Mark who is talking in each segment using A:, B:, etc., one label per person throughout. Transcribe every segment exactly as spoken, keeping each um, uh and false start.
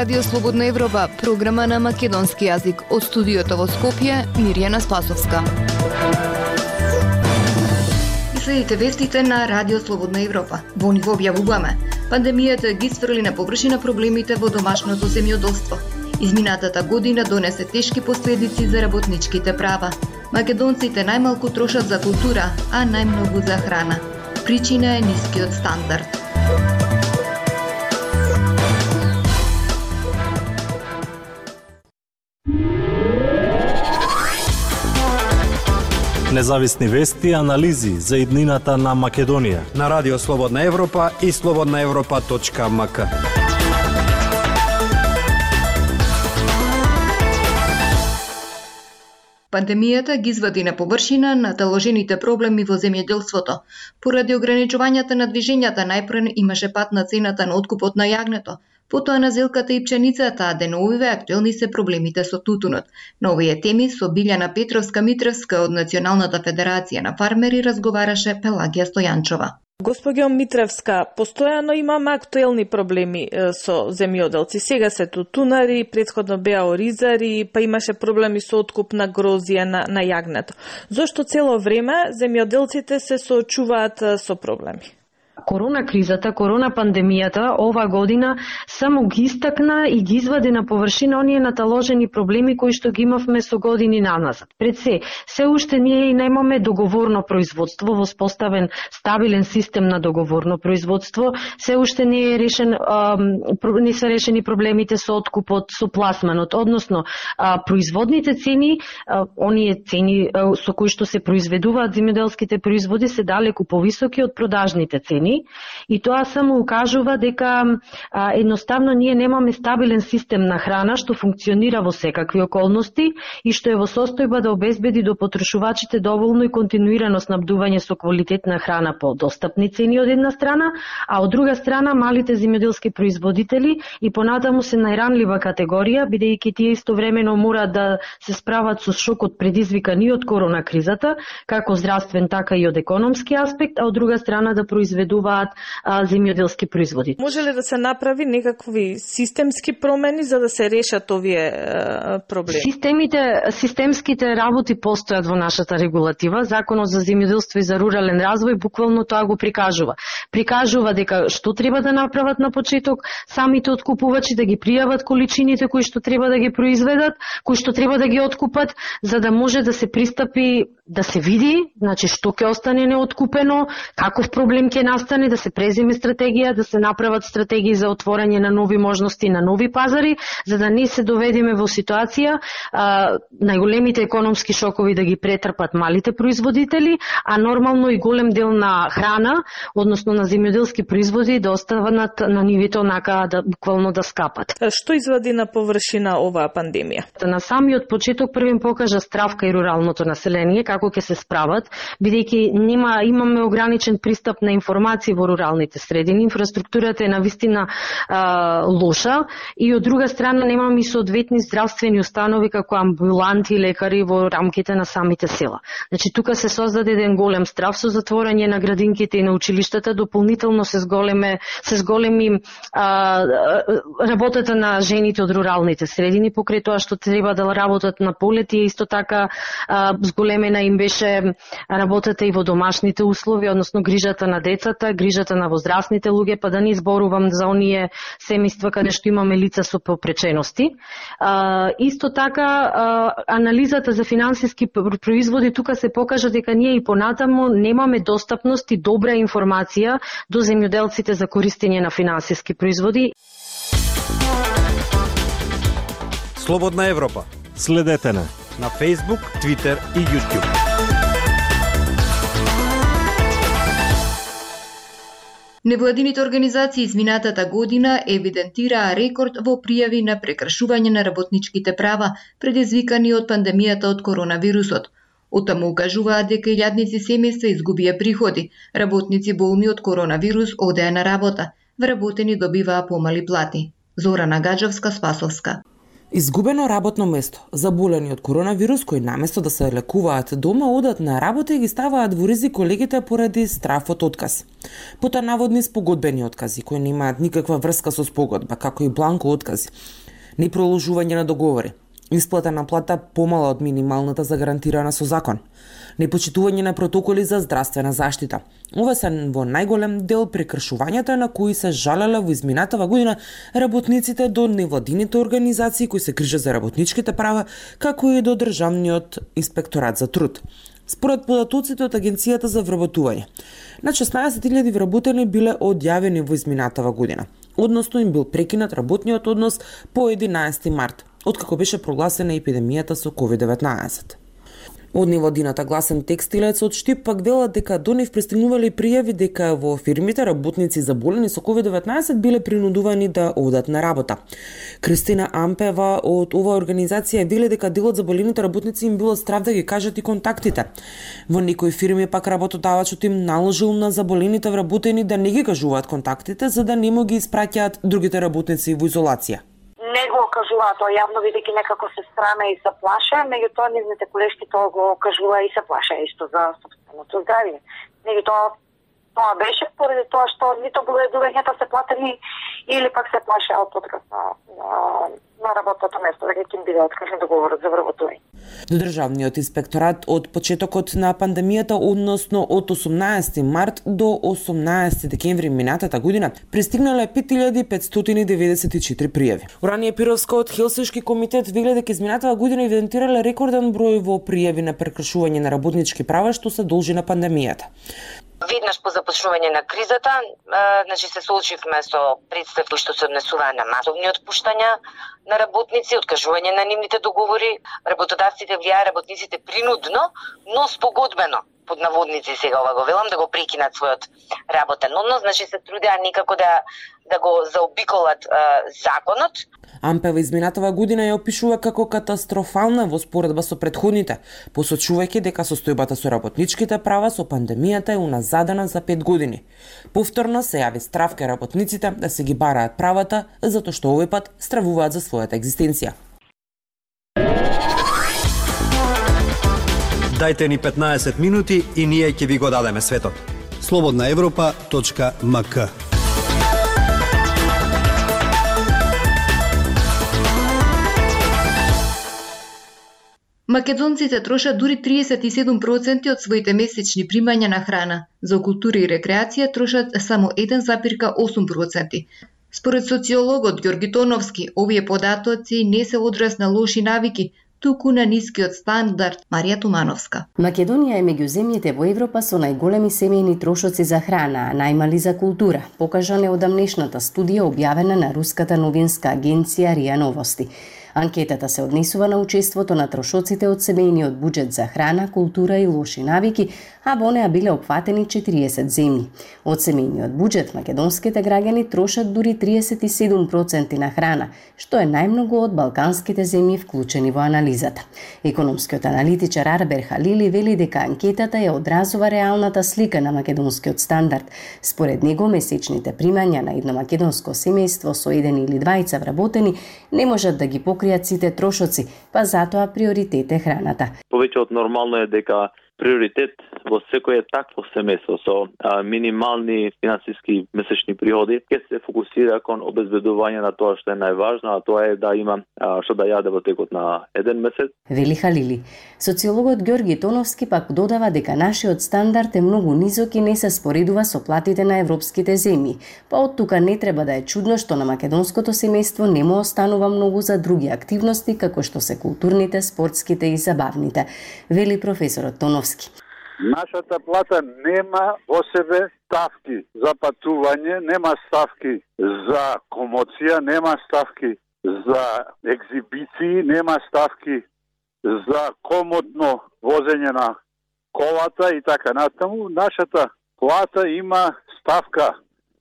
A: Радио Слободна Европа, програма на македонски јазик. Од студиото во Скопје, Мирјана Спасовска. Следите вестите на Радио Слободна Европа. Во ни го објавуваме. Пандемијата ги сфрли на површина проблемите во домашното земјоделство. Изминатата година донесе тешки последици за работничките права. Македонците најмалку трошат за култура, а најмногу за храна. Причина е нискиот стандард.
B: Независни вести и анализи за иднината на Македонија
C: на Радио Слободна Европа и слободна европа точка ем ка.
A: Пандемијата ги извади на површина наталожените проблеми во земјоделството. Поради ограничувањата на движењата, најпрв имаше пат на цената на откупот на јагнето, потоа на зелката и пченицата, а деновиве актуелни се проблемите со тутунот. На овие теми со Билјана Петровска-Митревска од Националната федерација на фармери разговараше Пелагија Стојанчова.
D: Госпоѓо Митревска, постојано имаме актуелни проблеми со земјоделци. Сега се тутунари, претходно беа оризари, па имаше проблеми со откуп на грозија на, на јагнето. Зошто цело време земјоделците се соочуваат со проблеми?
E: Корона кризата, корона пандемијата ова година само ги истакна и ги извади на површина оние наталожени проблеми кои што ги имавме со години наназад. Пред се, се уште ние и немаме договорно производство, воспоставен стабилен систем на договорно производство, се уште не е решен, а, не се решени проблемите со откупот, со пласманот, односно а, производните цени, а, оние цени а, со кои што се произведуваат земјоделските производи се далеку повисоки од продажните цени. И тоа само укажува дека а, едноставно ние немаме стабилен систем на храна што функционира во секакви околности и што е во состојба да обезбеди до потрошувачите доволно и континуирано снабдување со квалитетна храна по достапни цени од една страна, а од друга страна малите земјоделски производители и понатаму се најранлива категорија, бидејќи тие истовремено мора да се справат со шокот предизвикан и од корона кризата, како здравствен така и од економски аспект, а од друга страна да произведуваат земјоделски производи.
D: Може ли да се направи некакви системски промени за да се решат овие а, проблеми?
E: Системите, системските работи постојат во нашата регулатива. Законот за земјоделство и за рурален развој буквално тоа го прикажува. Прикажува дека што треба да направат на почеток самите откупувачи, да ги пријават количините кои што треба да ги произведат, кои што треба да ги откупат, за да може да се пристапи, да се види, значи што ќе остане неоткупено, каков проблем ќе настане, да се преземе стратегија, да се направат стратегии за отворање на нови можности, на нови пазари, за да не се доведеме во ситуација а, најголемите економски шокови да ги претрпат малите производители, а нормално и голем дел на храна, односно на земјоделски производи, да останат на нивите онака да буквално да скапат.
D: Што извади на површина оваа пандемија?
E: На самиот почеток првен покажа стравка и руралното население како ќе се справат, бидејќи нема имаме ограничен пристап на информации во руралните средини, инфраструктурата е навистина а, лоша и од друга страна немаме и соодветни здравствени установи како амбуланти и лекари во рамките на самите села. Значи тука се создаде еден голем страв со затворање на градинките и на училиштата, дополнително се зголеме се зголеми а, работата на жените од руралните средини покрај тоа што треба да работат на полети, исто така а, зголемена им беше работата и во домашните услови, односно грижата на децата, грижата на возрастните луѓе, па да не изборувам за оние семејства каде што имаме лица со попречености. А, исто така, а, анализата за финансиски производи тука се покажа дека ние и понатаму немаме достапност и добра информација до земјоделците за користење на финансиски производи.
C: Слободна Европа.
B: Следете на
C: на Facebook, Twitter и YouTube.
A: Невладините организации изминатата година евидентираа рекорд во пријави на прекршување на работничките права, предизвикани од пандемијата од коронавирусот. Оттаму укажуваат дека илјадници семејства изгубија приходи, работници болни од коронавирус одеа на работа, вработени добиваа помали плати. Зорана Гаджевска, Спасовска.
F: Изгубено работно место. Заболени од коронавирус кои наместо да се лекуваат дома, одат на работа и ги ставаат во ризик колегите поради страф од отказ. Потоа наводни спогодбени откази кои немаат никаква врска со спогодба, како и бланко откази. Непроложување на договори. Исплата на плата помала од минималната загарантирана со закон. Непочитување на протоколи за здравствена заштита. Ова се во најголем дел прекршувањата на кои се жалеле во изминатава година работниците до невладините организации кои се грижат за работничките права, како и до Државниот инспекторат за труд. Според податоците од Агенцијата за вработување, на шеснаесет илјади вработени биле одјавени во изминатава година, односно им бил прекинат работниот однос по единаесети март, откако беше прогласена епидемијата со ковид деветнаесет. Од невладината Гласен текстилец од Штип пак велат дека до нив пристигнувале пријави дека во фирмите работници заболени со ковид деветнаесет биле принудувани да одат на работа. Кристина Ампева од оваа организација вели дека дел од заболените работници им било страв да ги кажат и контактите. Во некои фирми пак работодавачот им наложил на заболените вработени да не ги кажуваат контактите за да не му ги испраќаат другите работници во изолација.
G: Не го кажуваат тоа јавно, бидејќи некако се страна и се плаша, меѓутоа нивните колешки тоа го кажува и се плаша исто за собственото здравје. Меѓутоа тоа беше поради тоа што нито боледувањата се платени или пак се плаша од отказ на, на, на работното место, дека ќе им биде откажен договорот за вработување.
F: До Државниот инспекторат од почетокот на пандемијата, односно од осумнаесети март до осумнаесети декември минатата година, пристигнале пет илјади петстотини деветдесет и четири пријави. Уранија Пировска од Хелсиншки комитет вели дека изминатава година евидентирале рекорден број во пријави на прекршување на работнички права што се должи на пандемијата.
H: Веднаш по започнување на кризата, значи се соочивме со представи што се однесуваат на масовни отпуштања на работници, откажување на нивните договори, работодавците влијаа работниците принудно, но спогодбено, под наводници сега ова го велам, да го прекинат својот работен однос, значи се трудеа некако да да го заобиколат а, законот.
F: Ампева изминатава година ја опишува како катастрофална во споредба со претходните, посочувајќи дека состојбата со работничките права со пандемијата е уназадена за пет години. Повторно се јави страв кај работниците да се ги бараат правата, затоа што овој пат стравуваат за својата екзистенција.
C: Дајте ни петнаесет минути и ние ќе ви го дадеме светот. слободна европа точка ем ка.
A: Македонците трошат дури триесет и седум проценти од своите месечни примања на храна. За култура и рекреација трошат само еден запирка осум проценти. Според социологот Ѓорги Тоновски, овие податоци не се одраз на лоши навики, туку на нискиот стандард. Марија Тумановска.
I: Македонија е меѓу земјите во Европа со најголеми семејни трошоци за храна, а најмали за култура, покажа неодамнешната студија објавена на руската новинска агенција РИА Новости. Анкетата се однесува на учеството на трошоците од семејниот буџет за храна, култура и лоши навики, а во неа биле опфатени четириесет земји. Од семејниот буџет македонските граѓани трошат дури триесет и седум проценти на храна, што е најмногу од балканските земји вклучени во анализата. Економскиот аналитичар Арбер Халили вели дека анкетата ја одразува реалната слика на македонскиот стандард. Според него месечните примања на едно македонско семејство со еден или двајца вработени не можат да ги покријат сите трошоци, па затоа приоритет е храната.
J: Повеќе од нормално е дека приоритет во секое такво семејство со а, минимални финансиски месечни приходи ќе се фокусира кон обезбедување на тоа што е најважно, а тоа е да има а, што да јаде во текот на еден месец.
I: Вели Халили. Социологот Ѓорги Тоновски пак додава дека нашиот стандард е многу низок и не се споредува со платите на европските земји. Па од тука не треба да е чудно што на македонското семејство не му останува многу за други активности како што се културните, спортските и забавните. Вели професорот Тоновски.
K: Нашата плата нема во себе ставки за патување, нема ставки за комоција, нема ставки за екзибиции, нема ставки за комодно возење на колата и така натаму. Нашата плата има ставка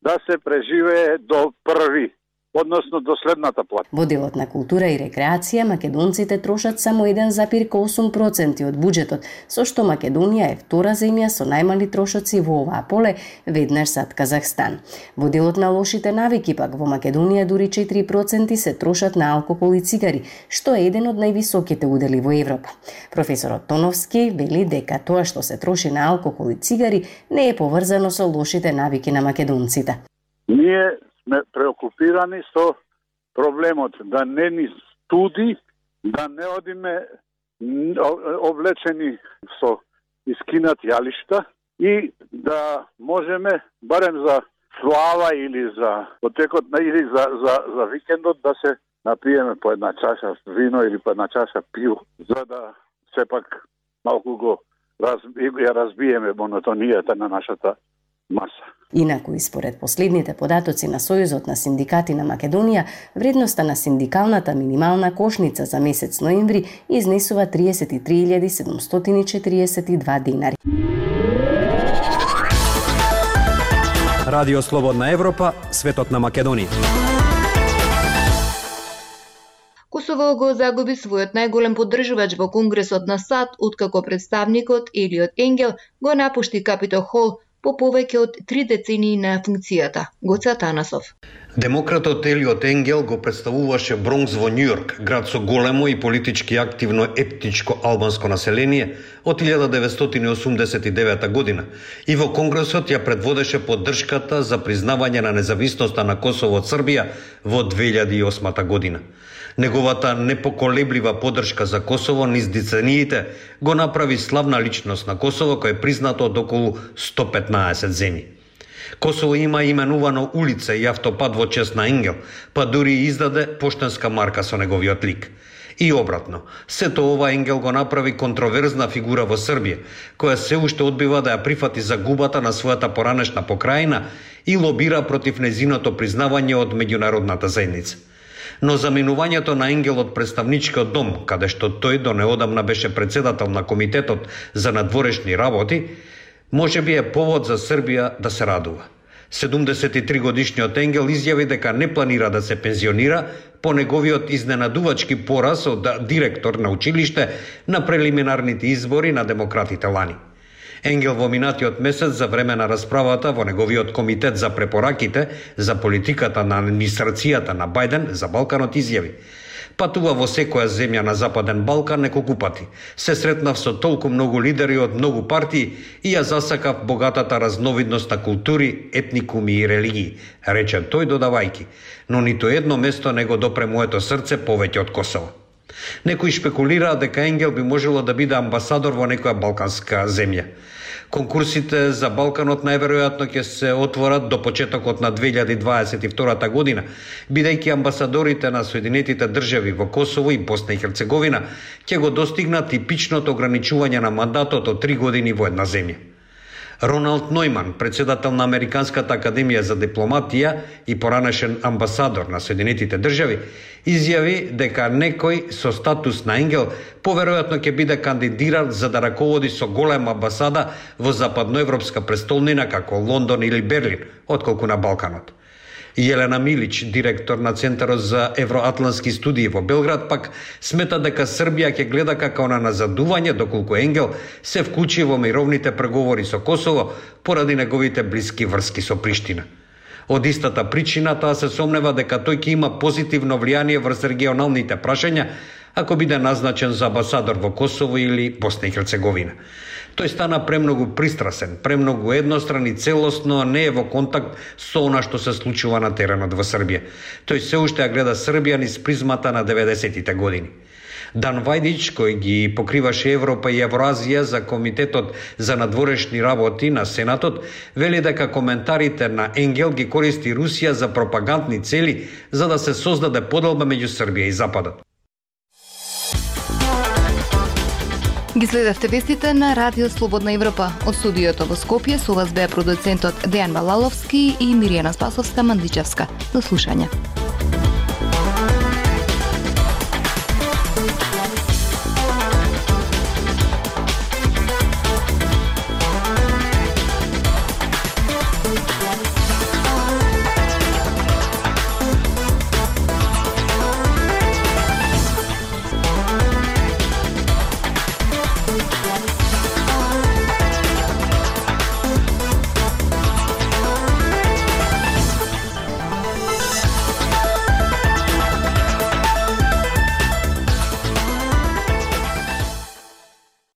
K: да се преживее до први односно до следната плата.
I: Во делот на култура и рекреација, македонците трошат само еден запир осум проценти од буџетот, со што Македонија е втора земја со најмали трошоци во оваа поле, веднаш зад Казахстан. Во делот на лошите навики пак во Македонија дури четири проценти се трошат на алкохол и цигари, што е еден од највисоките удели во Европа. Професорот Тоновски вели дека тоа што се троши на алкохол и цигари не е поврзано со лошите навики на македонците.
K: Ние сме преокупирани со проблемот да не ни студи, да не одиме облечени со искинат јалишта и да можеме барем за слава или за потекот на или за за за викендот да се напиеме по една чаша вино или по една чаша пиво, за да сепак малку го раз, ја разбиеме монотонијата на нашата маса.
I: Инаку и според последните податоци на Сојузот на синдикати на Македонија, вредноста на синдикалната минимална кошница за месец ноември изнесува триесет и три илјади седумстотини и четириесет и два динари.
C: Радио Слободна Европа, светот на Македонија.
A: Косово го загуби својот најголем поддржувач во Конгресот на САД, откако представникот Елиот Енгел го напушти Капитол Хол по повеќе од три децении на функцијата. Гоце Атанасов.
L: Демократот Елиот Енгел го представуваше Бронкс во Њујорк, град со големо и политички активно етничко албанско население од илјада деветстотини осумдесет и девета година и во Конгресот ја предводеше поддршката за признавање на независноста на Косово од Србија во две илјади и осма година. Неговата непоколеблива поддршка за Косово низ децениите го направи славна личност на Косово кој е признато од околу сто петнаесет земји. Косово има именувано улица и автопат во чест на Енгел, па дури издаде поштенска марка со неговиот лик. И обратно, сето ова Енгел го направи контроверзна фигура во Србија, која се уште одбива да ја прифати загубата на својата поранешна покрајина и лобира против незиното признавање од меѓународната заедница. Но заминувањето на Енгел од представничкиот дом, каде што тој до неодамна беше председател на Комитетот за надворешни работи, може би е повод за Србија да се радува. седумдесет и три годишниот Енгел изјави дека не планира да се пензионира по неговиот изненадувачки пораз од директор на училиште на прелиминарните избори на демократите лани. Енгел во минатиот месец за време на расправата во неговиот комитет за препораките за политиката на администрацијата на Бајден за Балканот изјави: патува во секоја земја на Западен Балкан неколку пати. Се сретнав со толку многу лидери од многу партии и ја засакав богатата разновидност на култури, етникуми и религии, рече тој додавајки, но ниту едно место не го допре моето срце повеќе од Косово. Некои шпекулираат дека Енгел би можело да биде амбасадор во некоја балканска земја. Конкурсите за Балканот најверојатно ќе се отворат до почетокот на две илјади дваесет и втора година, бидејќи амбасадорите на Соединетите држави во Косово и Босна и Херцеговина ќе го достигнат типичното ограничување на мандатот од три години во една земја. Роналд Нојман, председател на Американската академија за дипломатија и поранешен амбасадор на Соединетите држави, изјави дека некој со статус на Енгел поверојатно ќе биде кандидиран за да раководи со голема амбасада во западноевропска престолнина како Лондон или Берлин, отколку на Балканот. Јелена Милич, директор на Центарот за евроатлантски студии во Белград, пак смета дека Србија ќе гледа како на назадување доколку Енгел се вклучи во мировните преговори со Косово поради неговите блиски врски со Приштина. Од истата причина таа се сомнева дека тој ќе има позитивно влијание врз регионалните прашања ако биде назначен за амбасадор во Косово или Босна и Херцеговина. Тој стана премногу пристрасен, премногу едностран и целосно не е во контакт со она што се случува на теренот во Србија. Тој се уште ја гледа Србија низ призмата на деветдесетите години. Дан Вајдич, кој ги покриваше Европа и Евразија за Комитетот за надворешни работи на Сенатот, вели дека коментарите на Енгел ги користи Русија за пропагандни цели за да се создаде поделба меѓу Србија и Западот.
A: Ги следевте вестите на Радио Слободна Европа. Од студиото во Скопје со вас беа продуцентот Дејан Балаловски и Миријана Спасовска-Мандичевска. До слушање.